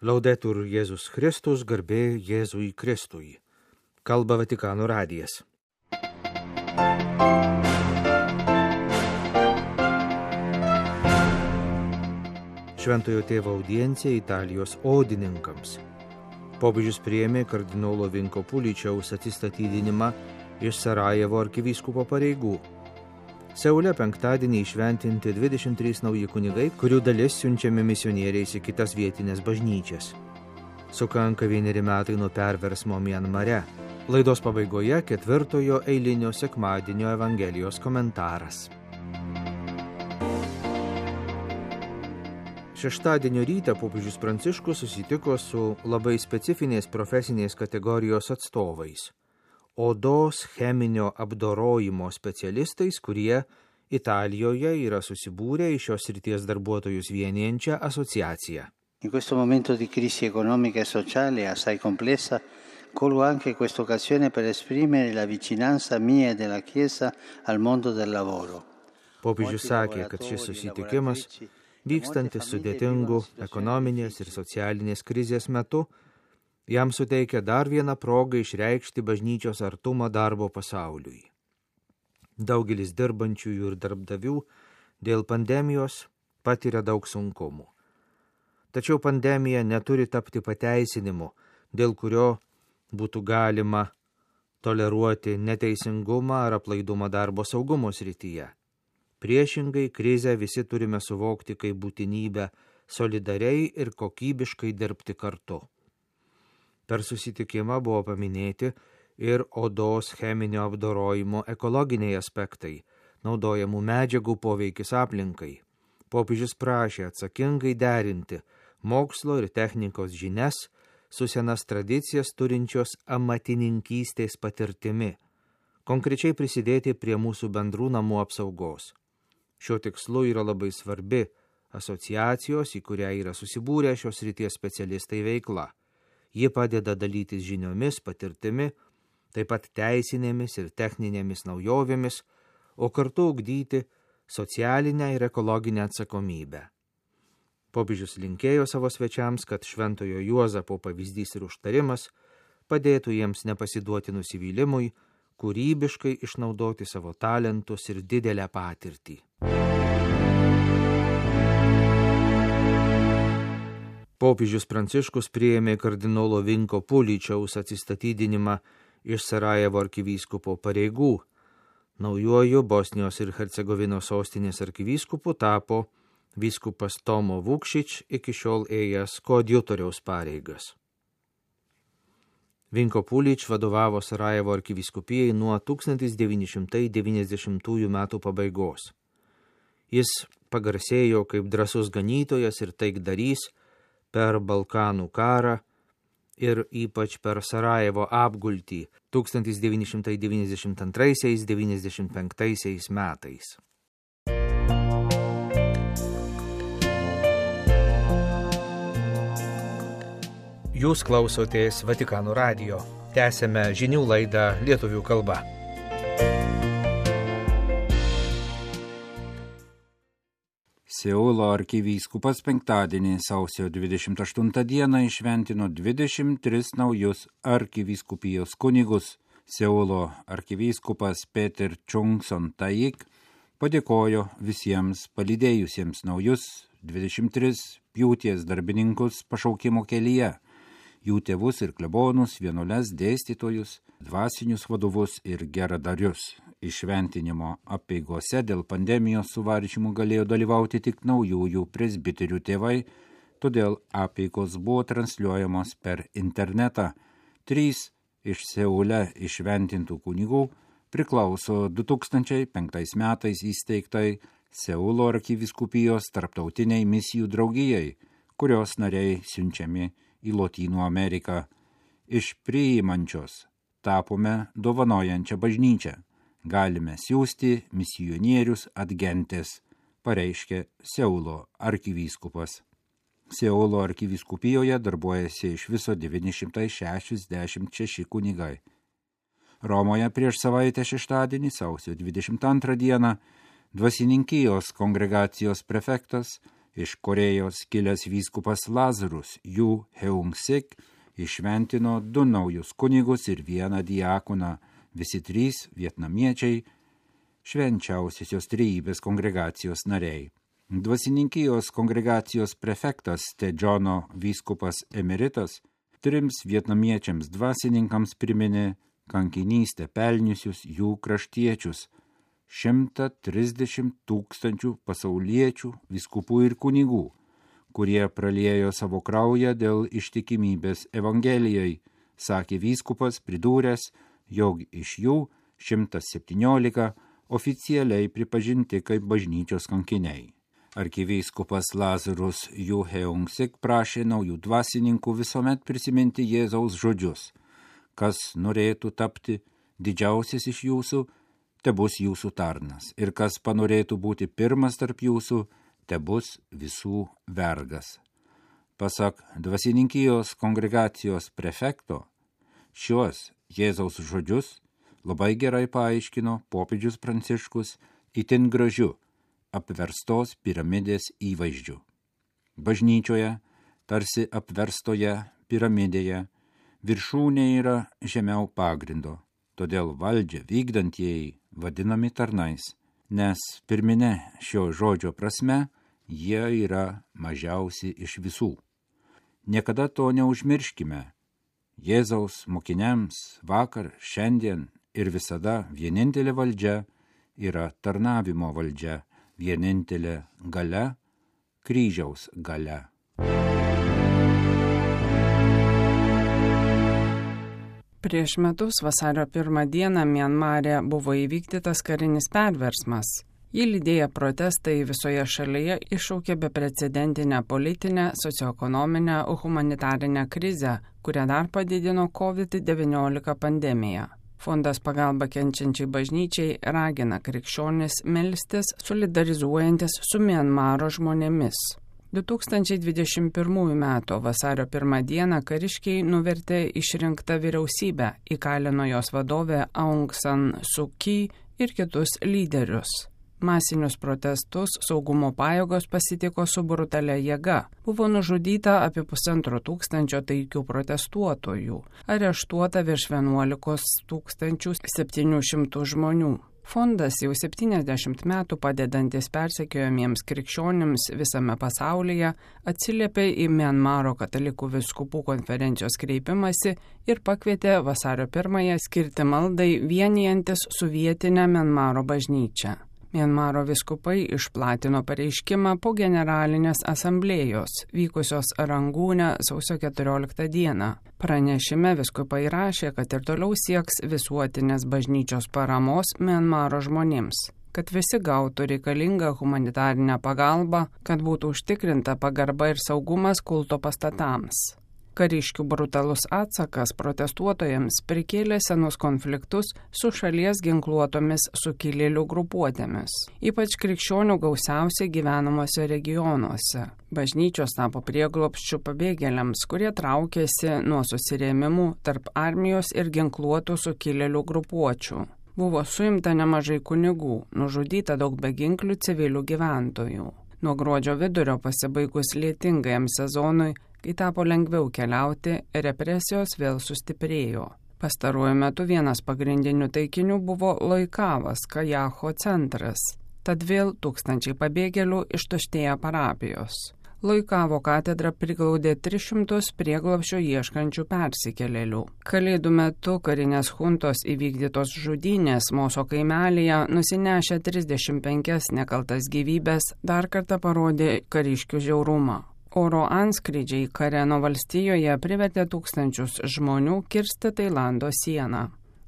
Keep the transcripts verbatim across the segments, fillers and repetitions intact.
Laudetur Jėzus Kristus, garbė Jėzui Kristui. Kalba Vatikano radijas. Šventojo tėvo audiencija Italijos odininkams. Popiežius priėmė kardinolo Vinko Puličiaus atsistatydinimą iš Sarajevo arkivyskupo pareigų. Seule penktadienį įšventinti dvidešimt trys nauji kunigai, kurių dalis siunčiami misionieriais į kitas vietinės bažnyčias. Sukanka vieneri metai nuo perversmo Mianmare. Laidos pabaigoje ketvirtojo eilinio sekmadienio Evangelijos komentaras. Šeštadienio rytą popiežius Pranciškus susitiko su labai specifinės profesinės kategorijos atstovais. Odos cheminio apdorojimo specialistais, kurie Italijoje yra susibūrę į šios srities darbuotojus vienijančią asociaciją. In questo momento di crisi economica e sociale assai complessa, colgo anche questa occasione per esprimere la vicinanza mia e della Chiesa al mondo del lavoro. Popiežius sakė, kad šis susitikimas, vykstantis sudėtingų ekonominės ir socialinės krizės metu, jam suteikia dar vieną progą išreikšti bažnyčios artumą darbo pasauliui. Daugelis dirbančiųjų ir darbdavių dėl pandemijos patiria daug sunkumų. Tačiau pandemija neturi tapti pateisinimu, dėl kurio būtų galima toleruoti neteisingumą ar aplaidumą darbo saugumo srityje. Priešingai, krizę visi turime suvokti kaip būtinybę solidariai ir kokybiškai dirbti kartu. Per susitikimą buvo paminėti ir odos cheminio apdorojimo ekologiniai aspektai, naudojamų medžiagų poveikis aplinkai. Popiežius prašė atsakingai derinti mokslo ir technikos žinias su senas tradicijas turinčios amatininkystės patirtimi, konkrečiai prisidėti prie mūsų bendrų namų apsaugos. Šiuo tikslu yra labai svarbi asociacijos, į kurią yra susibūrę šios srities specialistai veikla. Ji padeda dalytis žiniomis, patirtimi, taip pat teisinėmis ir techninėmis naujovėmis, o kartu ugdyti socialinę ir ekologinę atsakomybę. Popiežius linkėjo savo svečiams, kad Šventojo Juozapo pavyzdys ir užtarimas padėtų jiems nepasiduoti nusivylimui, kūrybiškai išnaudoti savo talentus ir didelę patirtį. Popiežius Pranciškus priėmė kardinolo Vinko Puličiaus atsistatydinimą iš Sarajevo arkivyskupo pareigų. Naujuoju Bosnijos ir Hercegovinos sostinės arkivyskupu tapo vyskupas Tomo Vukšić, iki šiol ėjęs koadjutoriaus pareigas. Vinko Pulič vadovavo Sarajevo arkivyskupijai nuo tūkstantis devyni šimtai devyniasdešimtųjų metų pabaigos. Jis pagarsėjo kaip drąsus ganytojas ir taikdarys per Balkanų karą ir ypač per Sarajevo apgultį tūkstantis devyni šimtai devyniasdešimt antraisiais - devyniasdešimt penktaisiais metais. Jūs klausotės Vatikano radijo. Tęsiame žinių laidą lietuvių kalba. Seulo arkivyskupas penktadienį sausio dvidešimt aštuntą dieną įšventino dvidešimt tris naujus arkivyskupijos kunigus. Seulo arkivyskupas Peter Chungson Taik padėkojo visiems palydėjusiems naujus dvidešimt tris pjūties darbininkus pašaukimo kelyje, jų tėvus ir klebonus, vienuoles, dėstytojus, dvasinius vadovus ir geradarius. Išventinimo apeigose dėl pandemijos suvaržymų galėjo dalyvauti tik naujųjų presbiterių tėvai, todėl apeigos buvo transliuojamos per internetą. Trys iš Seule išventintų kunigų priklauso du tūkstančiai penktais metais įsteigtai Seulo arkivyskupijos tarptautiniai misijų draugijai, kurios nariai siunčiami į Lotynų Ameriką. Iš priimančios tapome dovanojančią bažnyčią. Galime siųsti misionierius atgentes, pareiškė Seulo arkivyskupas. Seulo arkivyskupijoje darbuojasi iš viso devyni šimtai šešiasdešimt šeši kunigai. Romoje prieš savaitę šeštadienį, sausio dvidešimt antrą dieną, dvasininkijos kongregacijos prefektas Iš Korėjos kilęs vyskupas Lazarus Yu Heung-sik išventino du naujus kunigus ir vieną diakoną, visi trys vietnamiečiai, švenčiausiosios trejybės kongregacijos nariai. Dvasininkijos kongregacijos prefektas Tedžono vyskupas emeritas trims vietnamiečiams dvasininkams priminė kankinystę pelniusius jų kraštiečius, šimtą trisdešimt tūkstančių pasauliečių, vyskupų ir kunigų, kurie praliejo savo kraują dėl ištikimybės Evangelijai, sakė vyskupas, pridūręs, jog iš jų šimtas septyniolika oficialiai pripažinti kaip bažnyčios kankiniai. Arkivyskupas Lazarus Yu Heung-sik prašė naujų dvasininkų visuomet prisiminti Jėzaus žodžius. Kas norėtų tapti didžiausias iš jūsų, tebus jūsų tarnas, ir kas panorėtų būti pirmas tarp jūsų, tebus visų vergas. Pasak dvasininkijos kongregacijos prefekto, šios Jėzaus žodžius labai gerai paaiškino popiežius Pranciškus itin gražiu apverstos piramidės įvaizdžiu. Bažnyčioje, tarsi apverstoje piramidėje, viršūnė yra žemiau pagrindo, todėl valdžią vykdantieji vadinami tarnais, nes pirminė šio žodžio prasme jie yra mažiausi iš visų. Niekada to neužmirškime. Jėzaus mokiniams vakar, šiandien ir visada vienintelė valdžia yra tarnavimo valdžia, vienintelė galia, kryžiaus galia. Prieš metus vasario pirmą dieną Mianmare buvo įvykdytas karinis perversmas. Jį lydėję protestai visoje šalyje iššaukė beprecedentinę politinę, socioekonominę, humanitarinę krizę, kurią dar padidino COVID devyniolika pandemija. Fondas pagalba kenčiančiai bažnyčiai ragina krikščionis melstis, solidarizuojantis su Mianmaro žmonėmis. du tūkstančiai dvidešimt pirmųjų metų vasario pirmą dieną kariškiai nuvertė išrinktą vyriausybę, įkalino jos vadovę Aung San Suu Kyi ir kitus lyderius. Masinius protestus saugumo pajėgos pasitiko su brutalia jėga. Buvo nužudyta apie pusantro tūkstančio taikių protestuotojų, areštuota virš vienuolikos tūkstančių septynių šimtų žmonių. Fondas jau septyniasdešimt metų padedantis persekiojamiems krikščionims visame pasaulyje atsiliepė į Mianmaro katalikų vyskupų konferencijos kreipimąsi ir pakvietė vasario pirmąją skirti maldai vienijantis su vietinė Mianmaro bažnyčia. Mianmaro vyskupai išplatino pareiškimą po generalinės asamblėjos, vykusios Rangūne sausio keturioliktą dieną. Pranešime vyskupai rašė, kad ir toliau sieks visuotinės bažnyčios paramos Mianmaro žmonėms, kad visi gautų reikalingą humanitarinę pagalbą, kad būtų užtikrinta pagarba ir saugumas kulto pastatams. Kariškių brutalus atsakas protestuotojams prikėlė senus konfliktus su šalies ginkluotomis sukilėlių grupuotėmis, ypač krikščionių gausiausiai gyvenamuose regionuose. Bažnyčios tapo prieglobsčių pabėgėliams, kurie traukėsi nuo susirėmimų tarp armijos ir ginkluotų sukilėlių grupuočių. Buvo suimta nemažai kunigų, nužudyta daug beginklių civilių gyventojų. Nuo gruodžio vidurio pasibaigus lietingajam sezonui, kai tapo lengviau keliauti, represijos vėl sustiprėjo. Pastaruoju metu vienas pagrindinių taikinių buvo Loikavas, Kajaho centras. Tad vėl tūkstančiai pabėgėlių ištuštėja parapijos. Loikavo katedra priglaudė tris šimtus prieglobsčio ieškančių persikėlėlių. Kalėdų metu karinės chuntos įvykdytos žudynės Moso kaimelyje nusinešę trisdešimt penkias nekaltas gyvybės dar kartą parodė kariškių žiaurumą. Oro antskrydžiai Kareno valstijoje privertė tūkstančius žmonių kirsti Tailando sieną.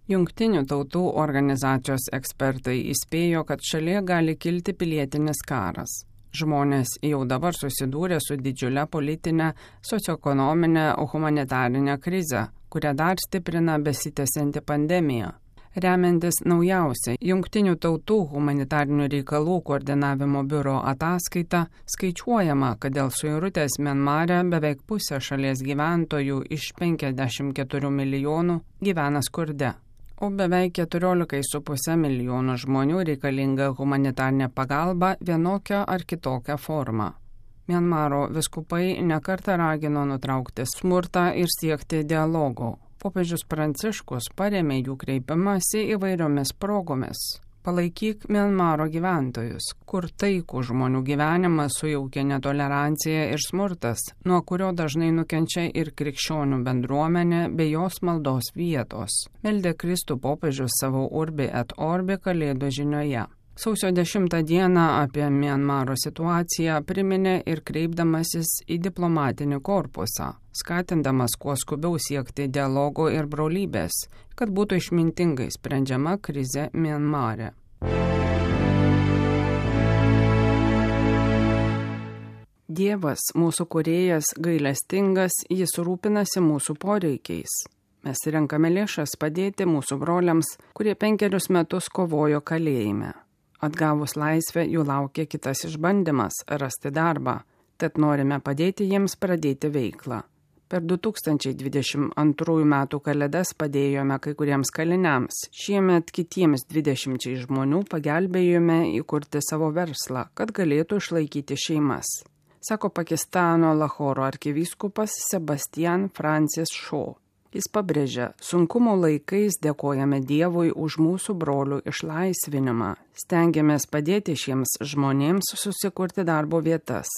Jungtinių tautų organizacijos ekspertai įspėjo, kad šalyje gali kilti pilietinis karas. Žmonės jau dabar susidūrė su didžiulė politinė, socioekonominė, humanitarinė krize, kurią dar stiprina besitęsianti pandemija. Remiantis naujausia Jungtinių tautų humanitarinių reikalų koordinavimo biuro ataskaita, skaičiuojama, kad dėl suirutės Mianmare beveik pusė šalies gyventojų iš penkiasdešimt keturių milijonų gyvena skurde, o beveik keturiolika su puse milijonų žmonių reikalinga humanitarinė pagalba vienokia ar kitokia forma. Mianmaro vyskupai nekartą ragino nutraukti smurtą ir siekti dialogo. Popiežius Pranciškus parėmė jų kreipimąsi įvairiomis progomis. Palaikyk Mianmaro gyventojus, kur taikų žmonių gyvenimą sujaukia netolerancija ir smurtas, nuo kurio dažnai nukenčia ir krikščionių bendruomenė bei jos maldos vietos. Meldė Kristų popiežius savo Urbi et Orbi Kalėdų žinioje. Sausio dešimtą dieną apie Mianmaro situaciją priminė ir kreipdamasis į diplomatinį korpusą, skatindamas kuo skubiau siekti dialogo ir brolybės, kad būtų išmintingai sprendžiama krizė Mianmare. Dievas, mūsų kūrėjas, gailestingas, jis rūpinasi mūsų poreikiais. Mes renkame lėšas padėti mūsų broliams, kurie penkerius metus kovojo kalėjime. Atgavus laisvę jų laukia kitas išbandymas – rasti darbą, tad norime padėti jiems pradėti veiklą. Per du tūkstančiai dvidešimt antrųjų metų kalėdas padėjome kai kuriems kaliniams, šiemet kitiems dvidešimčiai žmonių pagelbėjome įkurti savo verslą, kad galėtų išlaikyti šeimas, sako Pakistano Lahoro arkivyskupas Sebastian Francis Shaw. Jis pabrėžia, sunkumo laikais dėkojame Dievui už mūsų brolių išlaisvinimą, stengiamės padėti šiems žmonėms susikurti darbo vietas.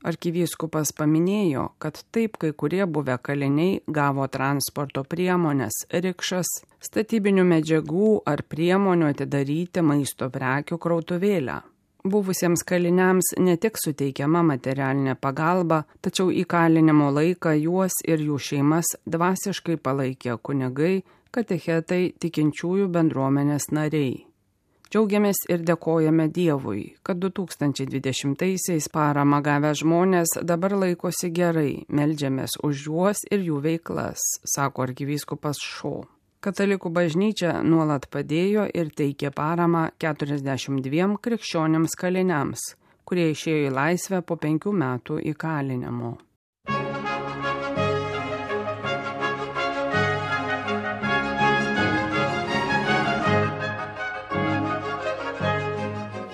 Arkivyskupas paminėjo, kad taip kai kurie buvę kaliniai gavo transporto priemonės, rikšas, statybinių medžiagų ar priemonių atidaryti maisto prekių krautuvėlę. Buvusiems kaliniams ne tik suteikiama materialinė pagalba, tačiau įkalinimo laiką juos ir jų šeimas dvasiškai palaikė kunigai, katechetai, tikinčiųjų bendruomenės nariai. Džiaugiamės ir dėkojame Dievui, kad du tūkstančiai dvidešimtaisiais paramą gavę žmonės dabar laikosi gerai, meldžiamės už juos ir jų veiklas, sako arkivyskupas Shaw. Katalikų bažnyčia nuolat padėjo ir teikė paramą keturiasdešimt dviem krikščioniams kaliniams, kurie išėjo į laisvę po penkių metų įkalinimo.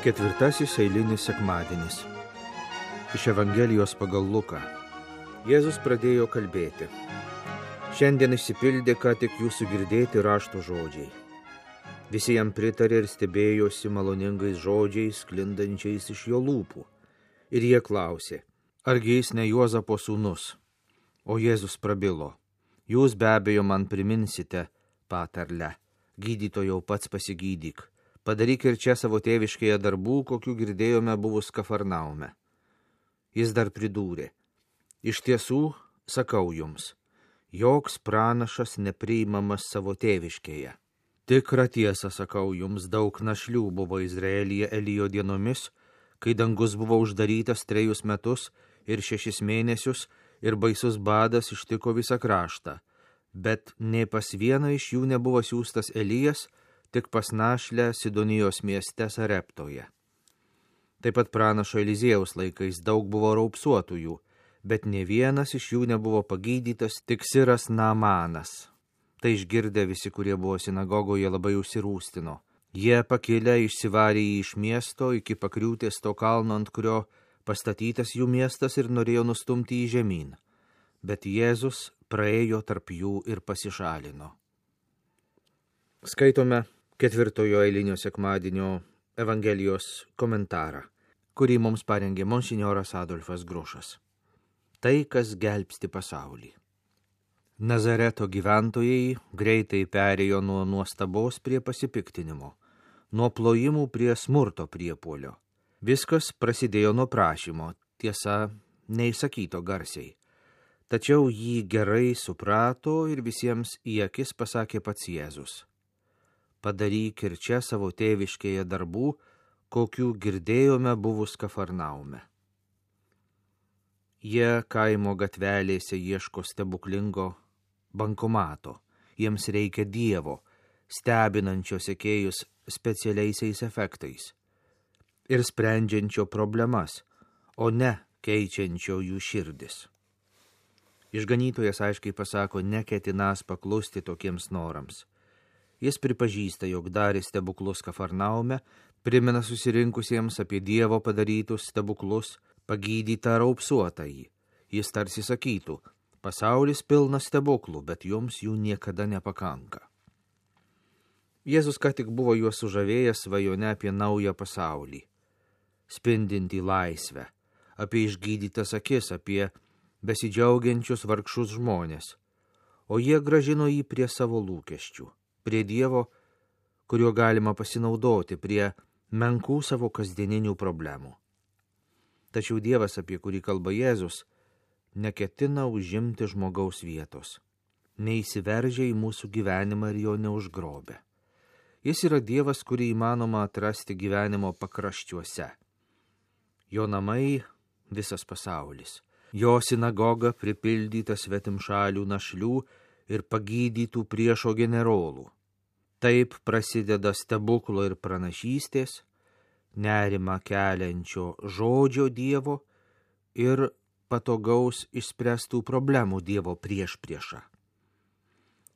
Ketvirtasis eilinis sekmadienis. Iš Evangelijos pagal Luką. Jėzus pradėjo kalbėti. Šiandien išsipildė ką tik jūsų girdėti rašto žodžiai. Visi jam pritarė ir stebėjosi maloningais žodžiais, sklindančiais iš jo lūpų. Ir jie klausė, argi jis ne Juozapo sūnus? O Jėzus prabilo, jūs be abejo man priminsite patarlę, gydytojau pats pasigydyk, padaryk ir čia savo tėviškėje darbų, kokių girdėjome buvus Kafarnaume. Jis dar pridūrė, iš tiesų sakau jums, joks pranašas nepriimamas savo tėviškėje. Tikrą tiesą sakau jums, daug našlių buvo Izraelyje Elijo dienomis, kai dangus buvo uždarytas trejus metus ir šešis mėnesius ir baisus badas ištiko visą kraštą, bet nei pas vieną iš jų nebuvo siųstas Elijas, tik pas našlę Sidonijos mieste Sareptoje. Taip pat pranašo Eliziejaus laikais daug buvo raupsuotųjų, bet ne vienas iš jų nebuvo pagydytas, tik Siras Naamanas. Tai išgirdę visi, kurie buvo sinagogoje, labai užsirūstino. Jie pakilę išsivarė jį iš miesto iki pakriūtės to kalno, ant kurio pastatytas jų miestas, ir norėjo nustumti jį žemyn. Bet Jėzus praėjo tarp jų ir pasišalino. Skaitome ketvirtojo eilinio sekmadienio Evangelijos komentarą, kurį mums parengė monsinjoras Adolfas Grušas. Tai, kas gelbsti pasaulį. Nazareto gyventojai greitai perėjo nuo nuostabos prie pasipiktinimo, nuo plojimų prie smurto priepuolio. Viskas prasidėjo nuo prašymo, tiesa, neįsakyto garsiai. Tačiau jį gerai suprato ir visiems į akis pasakė pats Jėzus. Padaryk ir čia savo tėviškėje darbų, kokių girdėjome buvus Kafarnaume. Jie kaimo gatvelėse ieško stebuklingo bankomato. Jiems reikia Dievo, stebinančio sekėjus specialiaisiais efektais ir sprendžiančio problemas, o ne keičiančio jų širdis. Išganytojas aiškiai pasako, neketinas paklusti tokiems norams. Jis pripažįsta, jog darė stebuklus Kafarnaume, primena susirinkusiems apie Dievo padarytus stebuklus, pagydytą raupsuotąjį. Jis tarsi sakytų, pasaulis pilnas stebuklų, bet jums jų niekada nepakanka. Jėzus ką tik buvo juos sužavėjęs svajone apie naują pasaulį, spindintį laisvę, apie išgydytas akis, apie besidžiaugiančius vargšus žmonės, o jie gražino jį prie savo lūkesčių, prie Dievo, kuriuo galima pasinaudoti, prie menkų savo kasdieninių problemų. Tačiau Dievas, apie kurį kalba Jėzus, neketina užimti žmogaus vietos, neįsiveržia į mūsų gyvenimą ir jo neužgrobia. Jis yra Dievas, kurį įmanoma atrasti gyvenimo pakraščiuose. Jo namai visas pasaulis, jo sinagoga pripildyta svetimšalių našlių ir pagydytų priešo generolų. Taip prasideda stebuklo ir pranašystės, nerimą keliančio žodžio Dievo ir patogaus išspręstų problemų Dievo priešpriešą.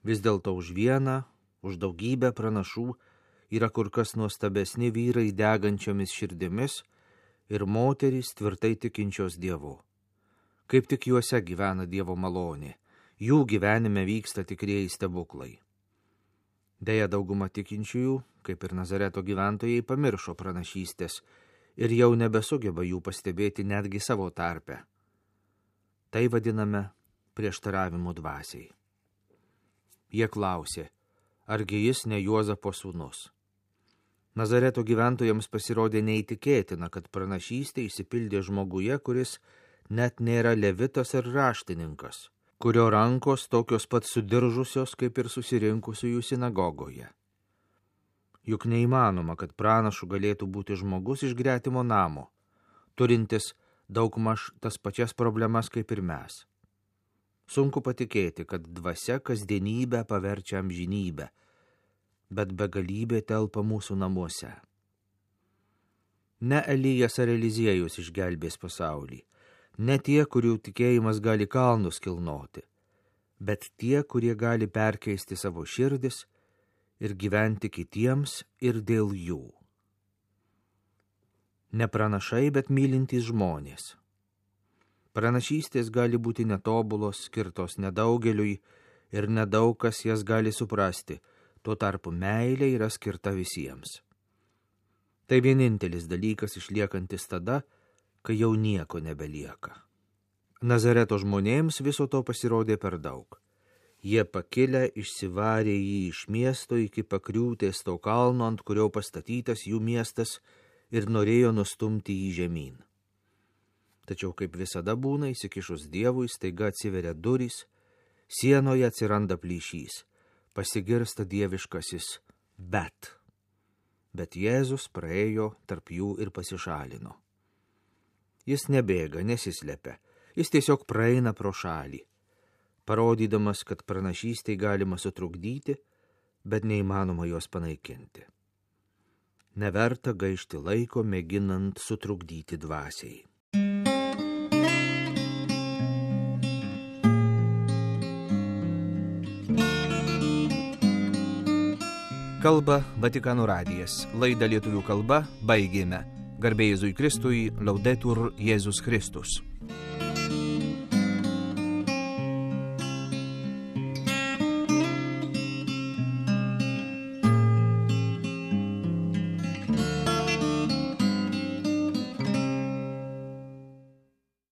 Vis dėlto už vieną, už daugybę pranašų yra kur kas nuostabesni vyrai degančiomis širdimis ir moterys tvirtai tikinčios Dievu. Kaip tik juose gyvena Dievo malonė, jų gyvenime vyksta tikrieji stebuklai. Deja, dauguma tikinčiųjų, kaip ir Nazareto gyventojai, pamiršo pranašystės ir jau nebesugeba jų pastebėti netgi savo tarpe. Tai vadiname prieštaravimu dvasiai. Jie klausė, argi jis ne Juozapo sūnus? Nazareto gyventojams pasirodė neįtikėtina, kad pranašystė išsipildė žmoguje, kuris net nėra levitas ar raštininkas, kurio rankos tokios pat sudiržusios kaip ir susirinkusiųjų sinagogoje. Juk neįmanoma, kad pranašu galėtų būti žmogus iš gretimo namo, turintis daugmaž tas pačias problemas kaip ir mes. Sunku patikėti, kad dvasia kasdienybę paverčia amžinybę, bet begalybė telpa mūsų namuose. Ne Elijas ar Eliziejus išgelbės pasaulį, ne tie, kurių tikėjimas gali kalnus kilnoti, bet tie, kurie gali perkeisti savo širdis ir gyventi kitiems ir dėl jų. Ne pranašai, bet mylintys žmonės. Pranašystės gali būti netobulos, skirtos nedaugeliui ir nedaug kas jas gali suprasti, tuo tarpu meilė yra skirta visiems. Tai vienintelis dalykas išliekantis tada, kai jau nieko nebelieka. Nazareto žmonėms viso to pasirodė per daug. Jie pakilę išsivarė jį iš miesto iki pakriūtės to kalno, ant kurio pastatytas jų miestas, ir norėjo nustumti jį žemyn. Tačiau kaip visada būna, įsikišus Dievui, staiga atsiveria durys, sienoje atsiranda plyšys, pasigirsta dieviškasis bet. Bet Jėzus praėjo tarp jų ir pasišalino. Jis nebėga, nesislepia, jis tiesiog praeina pro šalį, parodydamas, kad pranašystei galima sutrukdyti, bet neįmanoma jos panaikinti. Neverta gaišti laiko mėginant sutrukdyti dvasiai. Kalba Vatikano radijas. Laidą lietuvių kalba baigėme. Garbė Jėzui Kristui, Laudetur Jėzus Kristus.